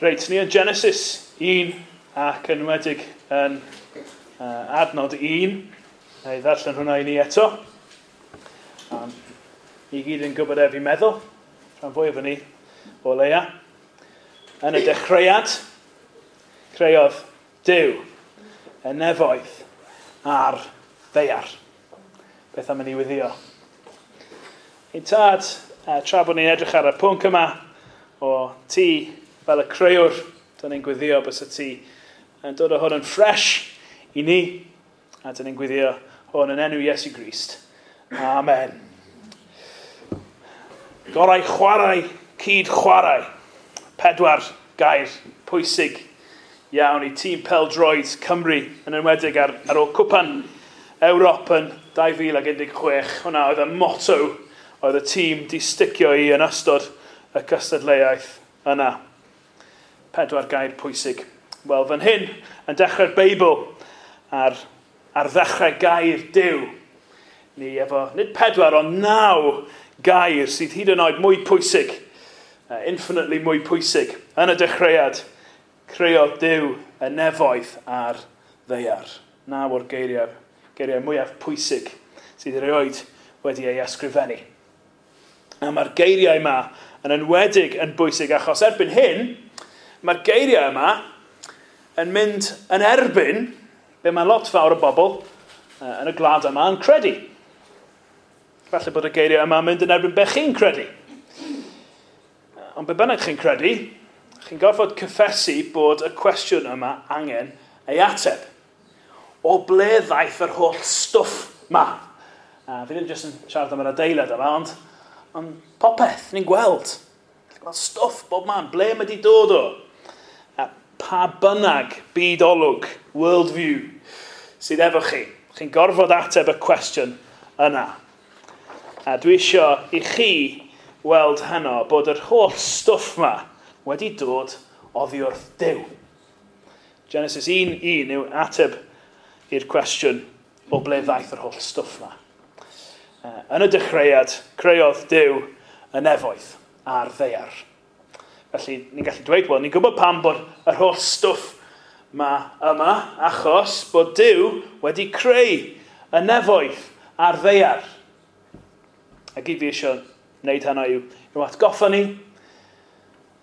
Reit, ni yn Genesis 1 ac yn enwedig yn adnod 1. Na i ddarllen hwnna i ni eto. Ni gyd yn gwybod e fi'n meddwl, rhan fwyaf o ni o leia. Yn y dechreuad, creodd Duw y nefoedd a'r ddaear. Beth am i ni wyddio? Ein tad, tra bod ni'n edrych ar y pwnc yma o ti fel y creuwr, dyn ni'n gweddio bys y ti yn dod o hwn yn ffres i ni, a dyn ni'n gweddio hwn yn enw Iesu Grist. Amen. Gorau chwarae, cyd chwarae. 4 gair pwysig iawn i tîm pêl-droed Cymru, yn enwedig ar ôl Cwpan Ewrop yn 2016. Hwna oedd y motto oedd y tîm di sticio i yn ystod y cystadleuaeth yna. 4 gair pwysig. Wel, fan hyn, yn dechrau'r Beibl, ar ddechrau gair Duw, ni efo, nid 4, ond 9 gair sydd hyd yn oed mwy pwysig, infinitely mwy pwysig. Yn y dechreuad, creodd Duw y nefoedd a'r ddaear. 9 o'r geiriau mwyaf pwysig sydd erioed wedi ei ysgrifennu. A mae'r geiriau yma yn enwedig yn bwysig achos erbyn hyn, mae'r geiriau yma yn mynd yn erbyn be mae lot fawr o bobl yn y gwlad yma yn credu. Falle bod y geiriau yma yn mynd yn erbyn be chi'n credu. Ond be bynnag chi'n credu, chi'n gorfod cyffesu bod y cwestiwn yma angen ei ateb. O ble ddaeth yr holl stwff ma? Fi ddim jyst yn siarad am yr adeilad yma, ond popeth ni'n gweld. Gweld stwff bob man, ble mae di dod o? A pa bynnag byd olwg, world view, sydd efo chi. Chi'n gorfod ateb y cwestiwn yna. A dwi eisiau i chi weld heno bod yr holl stwff ma wedi dod oddi wrth Duw. Genesis 1:1 yw ateb i'r cwestiwn o ble ddaeth yr holl stwff ma. Yn y dechreuad, creodd Duw y nefoedd a'r ddaear. Felly, ni'n gallu dweud, wel, ni'n gwybod pam bod yr holl stwff ma yma, achos bod Duw wedi creu y nefoedd a'r ddaear. A gyd fi eisiau wneud hynna yw atgoffa ni,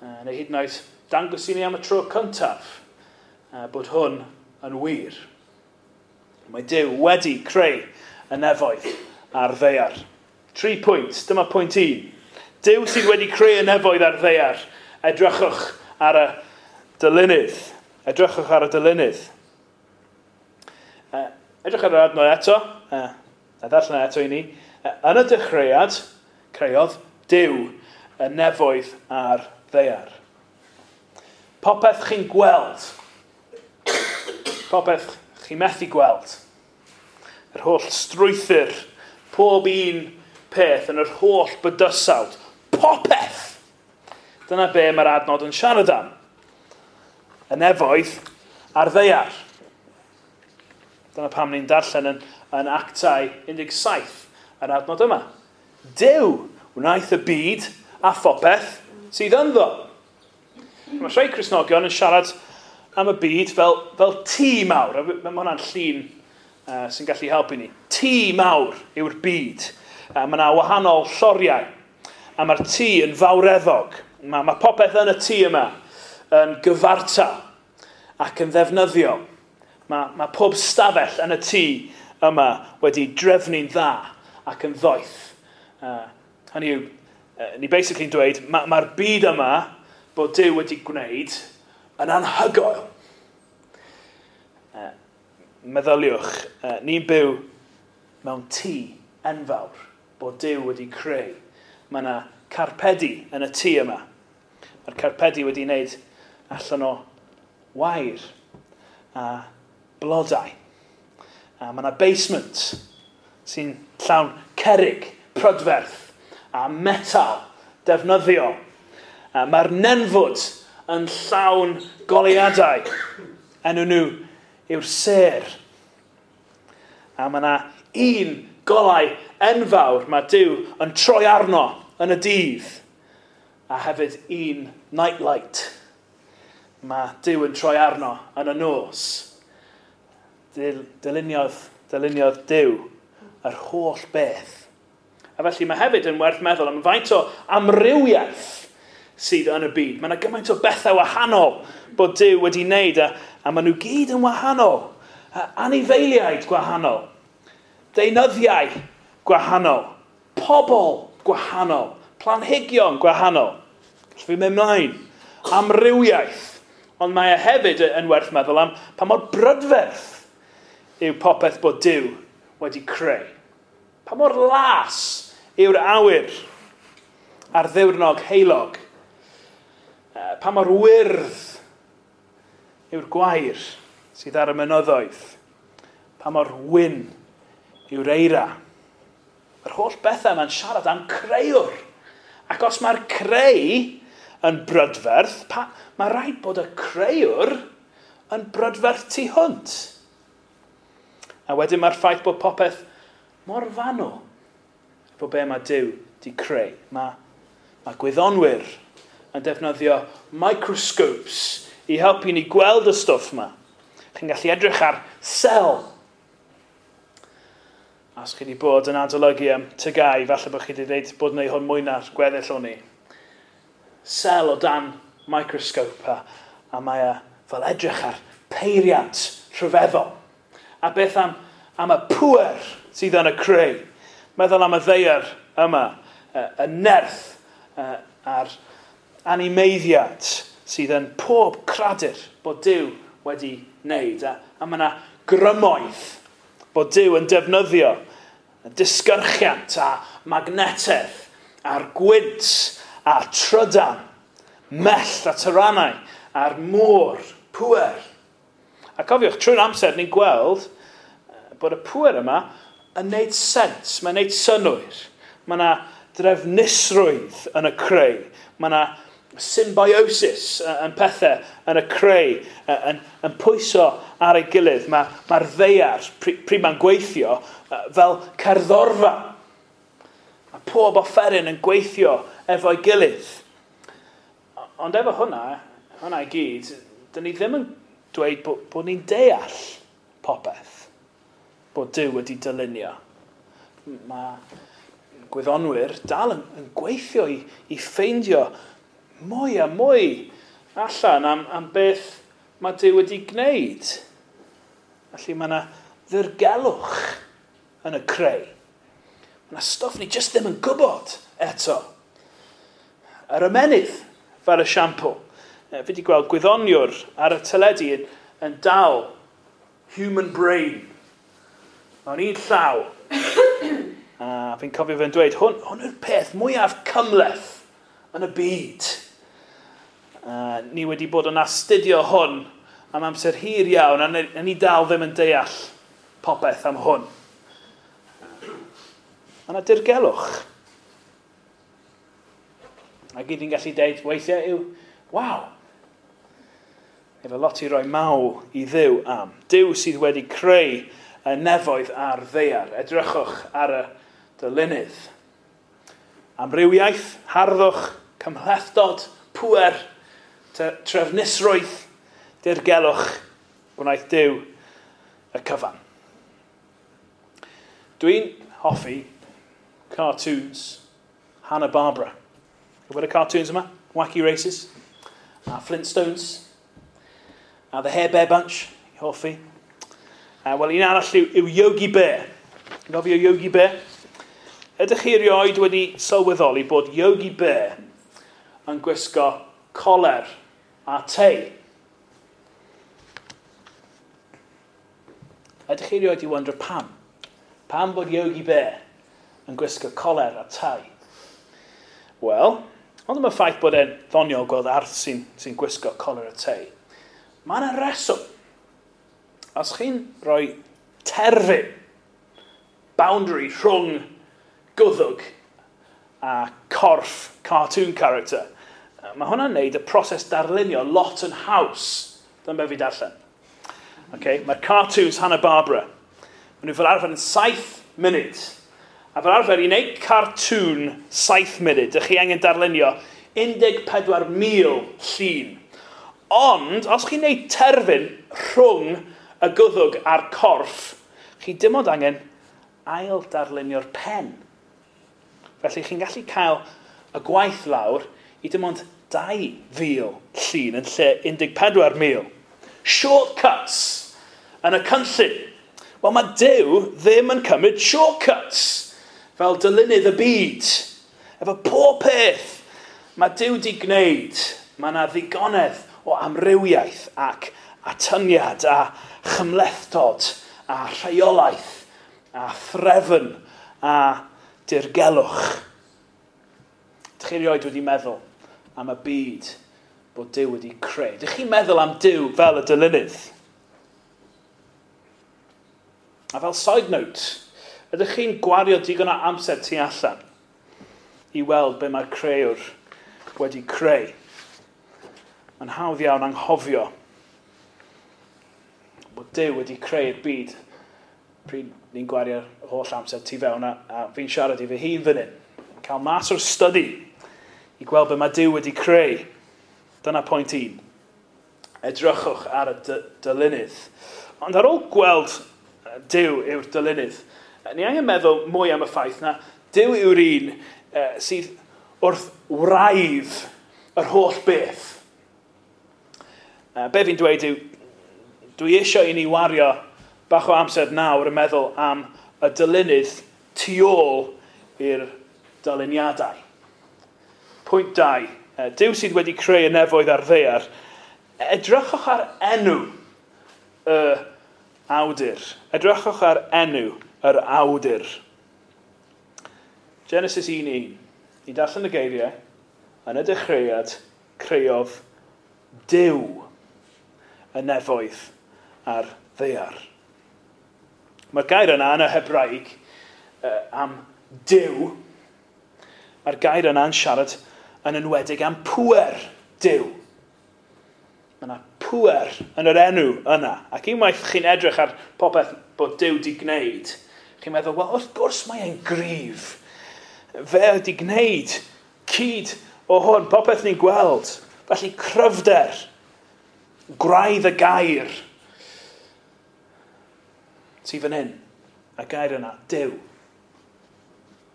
neu hyd yn oed dangos i ni am y tro cyntaf bod hwn yn wir. Mae Duw wedi creu y nefoedd a'r ddaear. 3 pwynt, dyma pwynt 1. Duw sydd wedi creu y nefoedd a'r ddaear. Edrychwch ar y dylunydd. Edrychwch ar y dylunydd. Edrych ar yr adnod eto, a ddarllen eto i ni. Yn y dechreuad, creodd Duw y nefoedd a'r ddaear. Popeth chi'n gweld, popeth chi'n methu gweld, yr holl strwythur, pob un peth yn yr holl bydysawd, popeth! Dyna be mae'r adnod yn siarad am. Y nefoedd a'r ddaear. Dyna pam ni'n darllen yn Actau 17 yr adnod yma. Duw wnaeth y byd a phopeth sydd ynddo. Mae rhai Cristnogion yn siarad am y byd fel tŷ mawr. Mae hwnna'n llun sy'n gallu helpu ni. Tŷ mawr yw'r byd. Mae yna wahanol lloriau. A mae'r tŷ yn fawreddog. Mae popeth yn y tŷ yma yn gyfartal ac yn ddefnyddiol. Mae pob stafell yn y tŷ yma wedi drefnu'n dda ac yn ddoeth. Hynny yw, ni basically'n dweud, mae'r byd yma bod Duw wedi gwneud yn anhygoel. Meddyliwch, ni'n byw mewn tŷ enfawr bod Duw wedi creu. Mae yna carpedi yn y tŷ yma. Mae'r carpedi wedi wneud allan o wair a blodau. A mae yna basement sy'n llawn cerrig, prydferth a metal defnyddiol. A mae'r nenfwd yn llawn goleuadau. Enw nhw yw'r sêr. A mae yna un golau enfawr mae Duw yn troi arno yn y dydd. A hefyd un nightlight. Mae Duw yn troi arno yn y nos. Dyluniodd Duw yr holl beth. A felly mae hefyd yn werth meddwl am faint o amrywiaeth sydd yn y byd. Mae yna gymaint o bethau wahanol bod Duw wedi wneud a maen nhw gyd yn wahanol. Anifeiliaid gwahanol, deunyddiau gwahanol, pobl gwahanol, planhigion gwahanol. Gallwn fi mynd mlaen. Amrywiaeth. Ond mae e hefyd yn werth meddwl am pa mor brydferth yw popeth bod Duw wedi creu. Pa mor las yw'r awyr ar ddiwrnod heulog. Pa mor wyrdd yw'r gwair sydd ar y mynyddoedd. Pa mor wyn yw'r eira. Yr holl bethau yma'n siarad am creuwr. Ac os mae'r creu yn brydferth, mae rhaid bod y creuwr yn brydferth tu hwnt. A wedyn mae'r ffaith bod popeth mor fanwl efo be mae Duw di creu. Mae gwyddonwyr yn defnyddio microscopes i helpu ni gweld y stwff yma. Chi'n gallu edrych ar sel. A os chi wedi bod yn adolygu am TGAU, falle bod chi wedi dweud bod wneud hwn mwy na'r gweddill o'n i. Sel o dan microscope a mae e fel edrych ar peiriant rhyfeddol. A beth am y pŵer sydd yn y creu? Meddwl am y ddaear yma, y nerth a'r animeiddiad sydd yn pob cradur bod Duw wedi wneud. A mae yna grymoedd bod Duw yn defnyddio disgyrchiant a magnetedd a'r gwynt a trydan, mellt a tyrannau a'r môr, pŵer. A cofiwch, trwy'r amser ni'n gweld bod y pŵer yma yn neud sens, mae'n neud synnwyr. Mae yna drefnusrwydd yn y creu. Mae yna symbiosis yn pethau yn y creu, yn pwyso ar ei gilydd. Mae'r ddaear, pryd mae'n gweithio, fel cerddorfa. Mae pob offeryn yn gweithio efo'i gilydd. Ond efo hwnna i gyd, dyn ni ddim yn dweud bod ni'n deall popeth bod Duw wedi dylunio. Mae gwyddonwyr dal yn gweithio i ffeindio mwy a mwy allan am beth mae Duw wedi gwneud. Felly mae yna ddirgelwch yn y creu. Mae yna stwff ni jyst ddim yn gwybod eto. Yr ymennydd fel esiampl. Fi wedi gweld gwyddoniwr ar y teledu yn dal human brain mewn un llaw. A fi'n cofio fe'n dweud, hwn yw'r peth mwyaf cymhleth yn y byd. Ni wedi bod yn astudio hwn am amser hir iawn, a ni dal ddim yn deall popeth am hwn. Mae yna dirgelwch. A gyd ni'n gallu deud weithiau yw, waw. Efo lot i roi mawl i Dduw am. Duw sydd wedi creu y nefoedd a'r ddaear. Edrychwch ar y dylunydd. Amrywiaeth, harddwch, cymhlethdod, pŵer, trefnusrwydd, dirgelwch, gwnaeth Duw y cyfan. Dwi'n hoffi cartoons Hanna-Barbera. Gwybod y cartoons yma? Wacky Races, a Flintstones, a The Hair Bear Bunch, i hoffi. Wel, un arall yw Yogi Bear. Ti'n cofio Yogi Bear? Ydych chi erioed wedi sylweddoli bod Yogi Bear yn gwisgo coler a tei? Ydych chi erioed i wondro pam? Pam bod Yogi Bear yn gwisgo coler a tei? Wel, ond am y ffaith bod e'n ddoniol gweld arth sy'n gwisgo coler a tei, mae yna reswm. Os chi'n rhoi terfyn, boundary rhwng gwddwg a corff cartoon character, mae hwnna'n neud y proses darlunio lot yn haws. Dyma be fi darllen. Okay, mae'r cartoons Hanna-Barbera, maen nhw fel arfer yn 7 munud. A fel arfer, i wneud cartoon 7 munud, ydych chi angen darlunio 14,000 llun. Ond, os chi'n neud terfyn rhwng y gwddwg a'r corff, chi dim ond angen ail darlunio'r pen. Felly chi'n gallu cael y gwaith lawr i dim ond 2,000 llun yn lle 14,000. Shortcuts yn y cynllun. Wel, mae Duw ddim yn cymryd shortcuts fel dylunydd y byd. Efo pob peth mae Duw di gwneud, mae yna ddigonedd o amrywiaeth ac atyniad a chymhlethdod a rheolaeth a threfn a dirgelwch. Dych chi erioed wedi meddwl am y byd bod Duw wedi creu? Dych chi'n meddwl am Duw fel y dylunydd? A fel side note, ydych chi'n gwario digon o amser tu allan i weld be mae'r creuwr wedi creu? Mae'n hawdd iawn anghofio bod Duw wedi creu'r byd pryd ni'n gwario'r holl amser tu fewn, a fi'n siarad i fy hun fan hyn. Cael mas o'r study i gweld be mae Duw wedi creu. Dyna pwynt 1. Edrychwch ar y dylunydd. Ond ar ôl gweld Duw yw'r dylunydd, ni angen meddwl mwy am y ffaith na Duw yw'r un sydd wrth wraidd yr holl beth. Be fi'n dweud yw, dwi eisiau i ni wario bach o amser nawr yn meddwl am y dylunydd tu ôl i'r dyluniadau. Pwynt 2. Duw sydd wedi creu y nefoedd a'r ddaear. Edrychwch ar enw y awdur. Edrychwch ar enw yr awdur. Genesis 1:1. Ni'n darllen y geiriau. Yn y dechreuad, creodd Duw y nefoedd a'r ddaear. Mae'r gair yna yn y Hebraeg am Duw. Mae'r gair yna yn siarad yn enwedig am pŵer Duw. Mae yna pŵer yn yr enw yna. Ac unwaith chi'n edrych ar popeth bod Duw di gwneud, chi'n meddwl, wel, wrth gwrs mae e'n gryf. Fe wedi gwneud cyd o hwn, popeth ni'n gweld. Felly cryfder, gwraidd y gair sydd fan hyn. Y gair yna, Duw,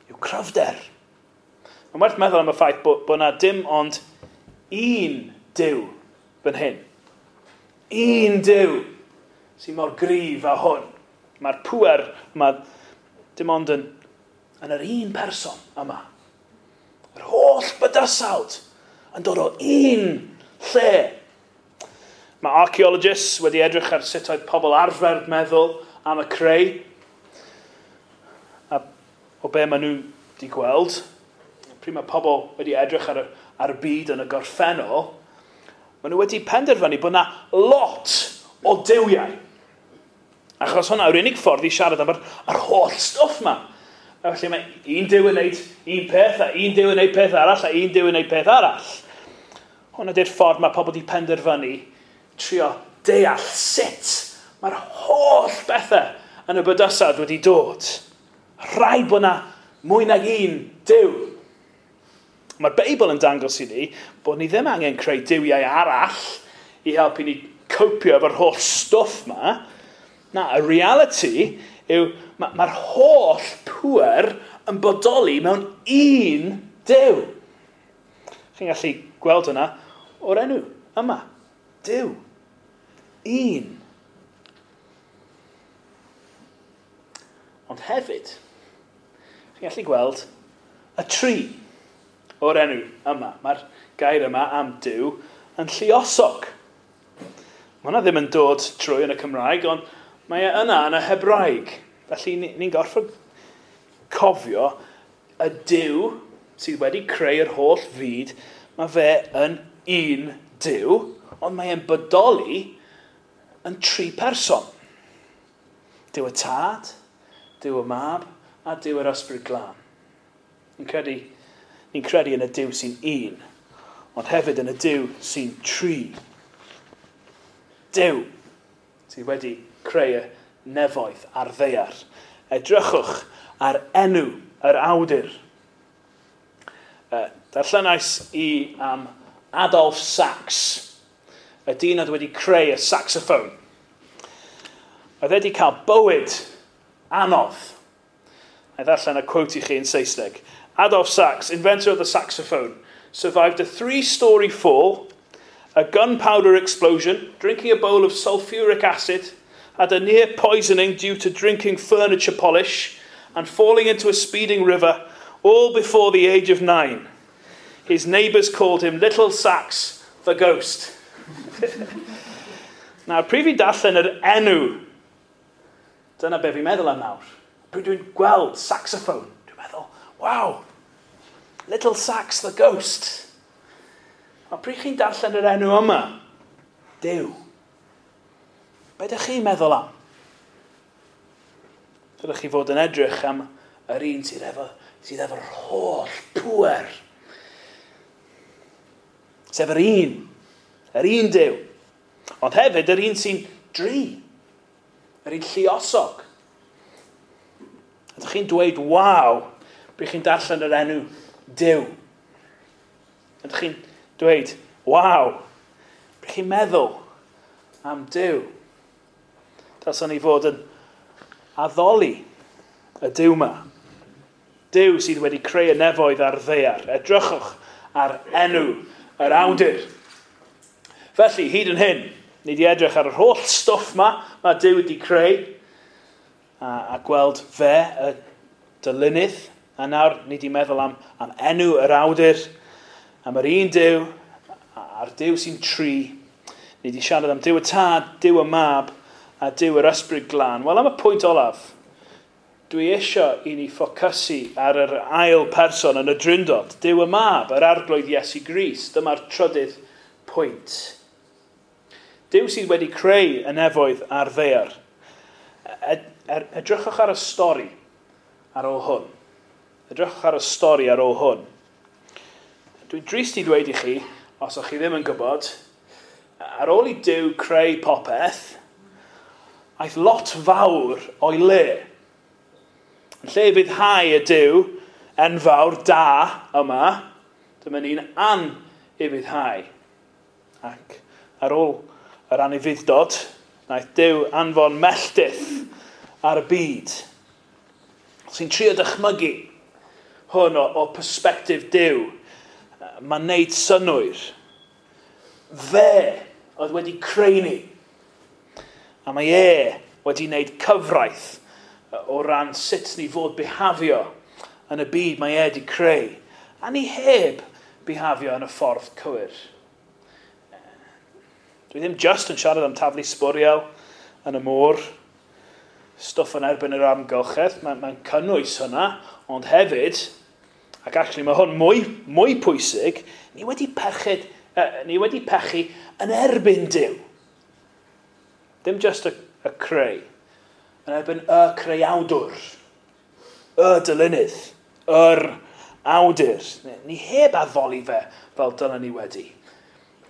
yw cryfder. Mae'n werth meddwl am y ffaith bod yna dim ond un Duw fan hyn. Un Duw sy'n mor gryf â hwn. Mae'r pŵer yma dim ond yn yr un person yma. Yr holl bydysawd yn dod o un lle. Mae archaeologists wedi edrych ar sut oedd pobl arfer meddwl am y creu. A o be maen nhw wedi gweld, pryd mae pobl wedi edrych ar y byd yn y gorffennol, maen nhw wedi penderfynu bod yna lot o duwiau. Achos hwnna yw'r unig ffordd i siarad am yr holl stwff yma. A felly mae un Duw yn gwneud un peth, a un Duw yn gwneud peth arall, a un Duw yn gwneud peth arall. Hwnna di'r ffordd mae pobl wedi penderfynu trio deall sut mae'r holl bethau yn y bydysawd wedi dod. Rhaid bod yna mwy nag un Duw. Mae'r Beibl yn dangos i ni bod ni ddim angen creu duwiau arall i helpu ni copio efo'r holl stwff yma. Na, y reality yw mae'r holl pŵer yn bodoli mewn un Duw. Chi'n gallu gweld hwnna o'r enw yma. Duw. Un. Ond hefyd, chi'n gallu gweld y tri o'r enw yma. Mae'r gair yma am Duw yn lluosog. Mae hwnna ddim yn dod trwy yn y Cymraeg, ond mae e yna yn y Hebraeg. Felly ni'n gorfod cofio y Duw sydd wedi creu'r holl fyd, mae fe yn un Duw, ond mae e'n bodoli yn tri person. Duw y Tad, Duw y Mab, a Duw yr Ysbryd Glân. Ni'n credu yn y Duw sy'n un, ond hefyd yn y Duw sy'n tri. Duw sydd wedi creu y nefoedd a'r ddaear. Edrychwch ar enw yr awdur. Darllenais i am Adolf Sax. Y dyn oedd wedi creu y saxophone. Oedd e wedi cael bywyd anodd. A ddarllen y quote i chi yn Saesneg. "Adolf Sax, inventor of the saxophone, survived a three-story fall, a gunpowder explosion, drinking a bowl of sulfuric acid, had a near poisoning due to drinking furniture polish, and falling into a speeding river, all before the age of 9. His neighbours called him Little Sax the Ghost." Nawr, pryd fi darllen yr enw, dyna be fi'n meddwl am nawr. Pryd dwi'n gweld saxophone, dwi'n meddwl, "Wow, Little Sax the Ghost." A pryd chi'n darllen yr enw yma, Duw, be ydych chi'n meddwl am? Dylech chi fod yn edrych am yr un sydd efo'r holl pŵer. Sef yr un Duw. Ond hefyd yr un sy'n dri, yr un lluosog. Ydych chi'n dweud "waw" pryd chi'n darllen yr enw Duw? Ydych chi'n dweud "waw" pryd chi'n meddwl am Duw? Dylsen ni fod yn addoli y Duw yma. Duw sydd wedi creu y nefoedd a'r ddaear. Edrychwch ar enw yr awdur. Felly, hyd yn hyn, ni wedi edrych ar yr holl stwff ma mae Duw wedi creu a gweld fe, y dylunydd. A nawr ni wedi meddwl am enw yr awdur, am yr un Duw, a'r Duw sy'n tri. Ni wedi siarad am Duw y Tad, Duw y Mab, a Duw yr Ysbryd Glân. Wel, am y pwynt olaf, dwi eisiau i ni ffocysu ar yr ail person yn y Drindod, Duw y Mab, yr Arglwydd Iesu Grist. Dyma'r trydydd pwynt. Duw sydd wedi creu y nefoedd a'r ddaear. Edrychwch ar y stori ar ôl hwn. Edrychwch ar y stori ar ôl hwn. Dwi'n drist i ddweud i chi, os ydych chi ddim yn gwybod, ar ôl i Duw creu popeth, aeth lot fawr o'i le. Yn lle ufuddhau y Duw enfawr da yma, dyma ni'n anufuddhau. Ac ar ôl yr anufudd-dod, wnaeth Duw anfon melltith ar y byd. Sy'n trio dychmygu hwn o perspectif Duw, mae'n neud synnwyr. Fe oedd wedi creu ni. A mae e wedi wneud cyfraith o ran sut ni fod bihafio yn y byd mae e wedi creu. A ni heb bihafio yn y ffordd cywir. Dwi ddim just yn siarad am taflu sbwriel yn y môr, stwff yn erbyn yr amgylchedd, mae'n cynnwys hynna, ond hefyd, ac actually mae hwn mwy pwysig, ni wedi pechu yn erbyn Duw. Dim just y creu, yn erbyn y creawdwr, y dylunydd, yr awdur. Ni heb addoli fe fel dylen ni wedi.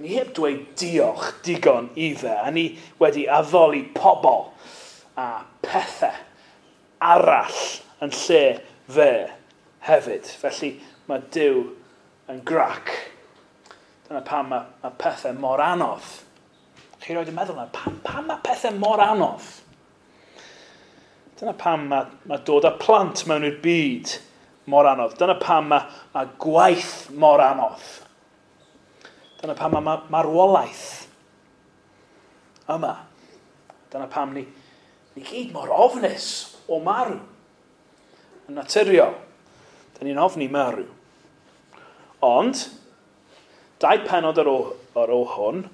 Ni heb dweud diolch digon i fe, a ni wedi addoli pobl a pethau arall yn lle fe hefyd. Felly mae Duw yn grac. Dyna pam mae pethau mor anodd. Chi roed yn meddwl na, pam mae pethau mor anodd? Dyna pam mae dod â plant mewn i'r byd mor anodd. Dyna pam mae gwaith mor anodd. Dyna pam mae marwolaeth yma. Dyna pam ni gyd mor ofnus o marw. Yn naturiol, dyn ni'n ofni marw. Ond, dau penod ar ôl hwn,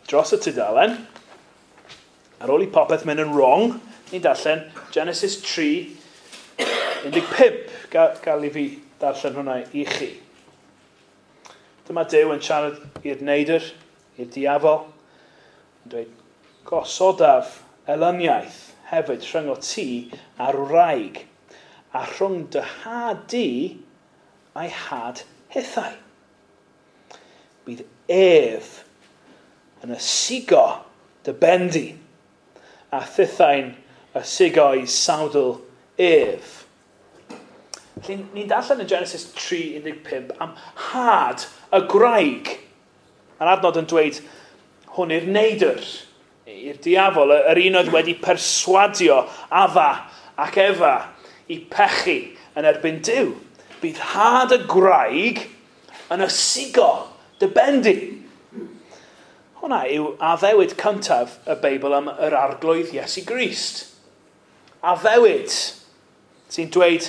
dros y tudalen, ar ôl i popeth mynd yn wrong, ni'n darllen Genesis 3, 15. Gael i fi darllen hwnna i chi. Dyma Duw yn siarad i'r neidr, i'r diafol, yn dweud, "Gosodaf elyniaeth hefyd rhyngot ti a'r wraig, a rhwng dy had di a'i had hithau. Bydd ef yn ysigo dy ben di, a thithau'n ysigo'i sawdl ef." Felly, ni'n darllen yn Genesis 3.15 am had y wraig. Mae'r adnod yn dweud hwn i'r neidr, i'r diafol, yr un oedd wedi perswadio Adda ac Efa i pechu yn erbyn Duw. Bydd had y gwraig yn ysigo dy ben di. Hwna yw addewid cyntaf y Beibl am yr Arglwydd Iesu Grist. Addewid sy'n dweud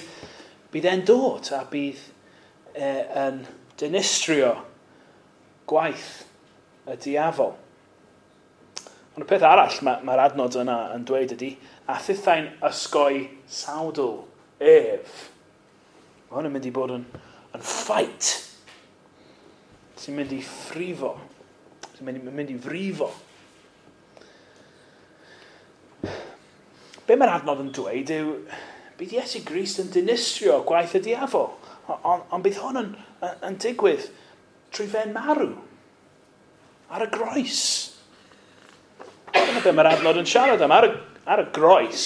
bydd e'n dod a bydd yn dinistrio gwaith y diafol. Ond y peth arall mae'r adnod yna yn dweud ydy, a thithau'n ysgoi sawdl ef. Mae hwn yn mynd i bod yn fight sy'n mynd i frifo. Sy'n mynd i frifo. Be mae'r adnod yn dweud yw, bydd Iesu Grist yn dinistrio gwaith y diafol. Ond bydd hwn yn digwydd trwy fe'n marw ar y groes. Dyna be mae'r adnod yn siarad am, ar y groes.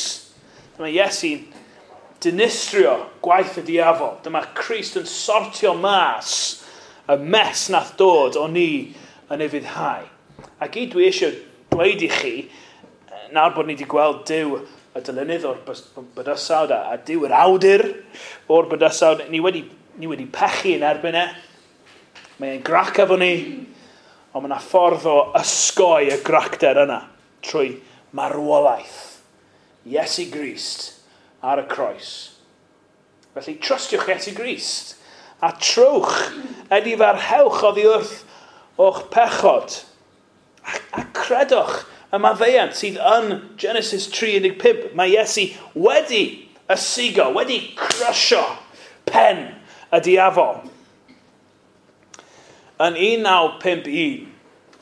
Dyma Iesu'n dinistrio gwaith y diafol. Dyma Crist yn sortio mas y mess nath dod o ni yn ufuddhau. Ac i dwi eisiau dweud i chi, nawr bod ni wedi gweld Duw y dylunydd o'r bydysawd a Duw yr awdur o'r bydysawd, ni wedi pechu yn erbyn e. Mae'n grac efo ni, ond mae yna ffordd o ysgoi y gracder yna trwy marwolaeth Iesu Grist ar y croes. Felly, trustiwch Iesu Grist a trowch, edifarhewch oddi wrth o'ch pechod a credwch y maddeuant sydd yn Genesis 3:15. Mae Iesu wedi ysigo, wedi crysio pen y diafol. Yn 1951,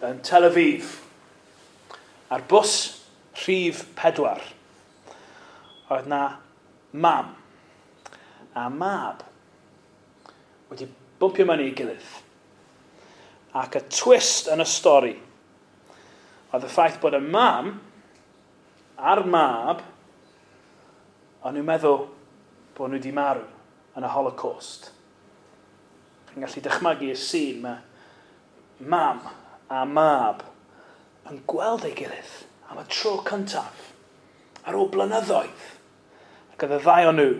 yn Tel Aviv, ar bws rhif 4, oedd na mam a mab wedi bwmpio mewn i'w gilydd. Ac y twist yn y stori oedd y ffaith bod y mam a'r mab, o'n nhw'n meddwl bod nhw wedi marw yn y Holocaust. Chi'n gallu dychmygu y sîn, mae mam a mab yn gweld ei gilydd am y tro cyntaf ar ôl blynyddoedd. Ac oedd y ddau o'n nhw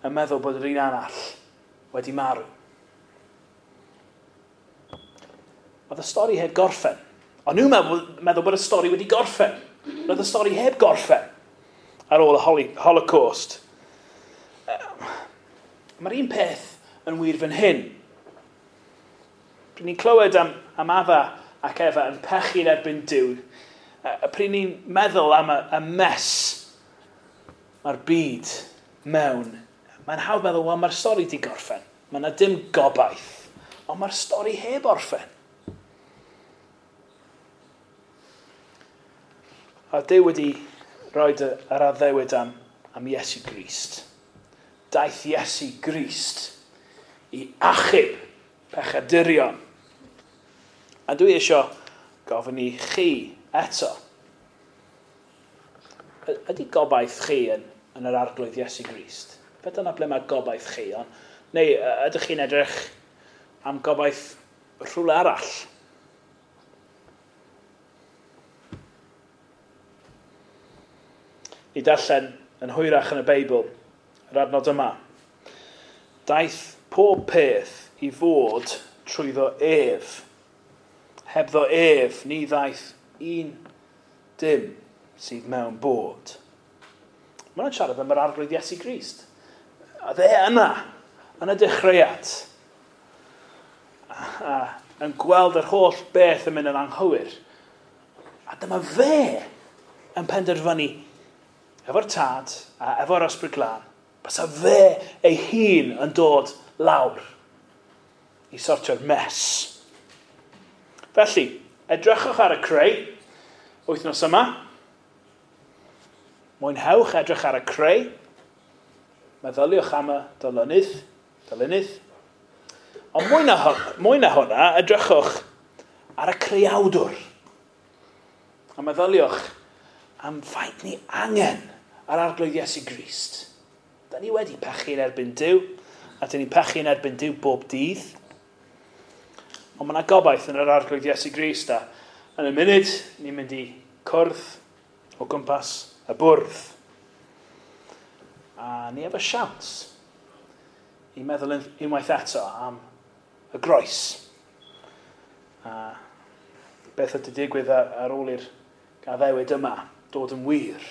yn meddwl bod yr un arall wedi marw. Oedd y stori heb gorffen. O'n nhw'n meddwl bod y stori wedi gorffen. Oedd y stori heb gorffen ar ôl y Holocaust. Mae'r un peth yn wir fan hyn. Pryd ni'n clywed am Adda ac Efa yn pechu'n erbyn Duw, a pryd ni'n meddwl am y mess mae'r byd mewn, mae'n hawdd meddwl, wel, mae'r stori di gorffen. Mae yna dim gobaith, ond mae'r stori heb orffen. A Duw wedi rhoi yr addewid am Iesu Grist. Daeth Iesu Grist i achub pechadurion. A dwi eisiau gofyn i chi eto. Ydy gobaith chi yn yr Arglwydd Iesu Grist? Fe dyna ble mae gobaith chi? Neu ydych chi'n edrych am gobaith rhywle arall? Ni darllen yn hwyrach yn y Beibl, yr adnod yma. Daeth pob peth i fod trwyddo ef. Hebddo ef, ni ddaeth un dim sydd mewn bod. Mae'n siarad am yr Arglwydd Iesu Grist. A dde yna, yn y dechreuad, a yn gweld yr holl beth yn mynd yn anghywir. A dyma fe yn penderfynu efo'r Tad a efo'r Ysbryd Glân, bysa fe ei hun yn dod lawr i sortio'r mess. Felly, edrychwch ar y creu wythnos yma. Mwynhewch edrych ar y creu. Meddyliwch am y dylunydd. Ond mwy na hwnna, edrychwch ar y creawdwr. A meddyliwch am faint ni angen ar Arglwydd Iesu Grist. Da ni wedi pechu yn erbyn Duw, a dyn ni'n pechu yn erbyn Duw bob dydd. Ond mae yna gobaith yn yr Arglwydd Iesu Grist, a Yn y munud, ni'n mynd i cwrdd o gwmpas y bwrdd. A ni efo siawns i meddwl unwaith eto am y groes. A beth ydy digwydd ar ôl i'r gaddewid yma dod yn wir.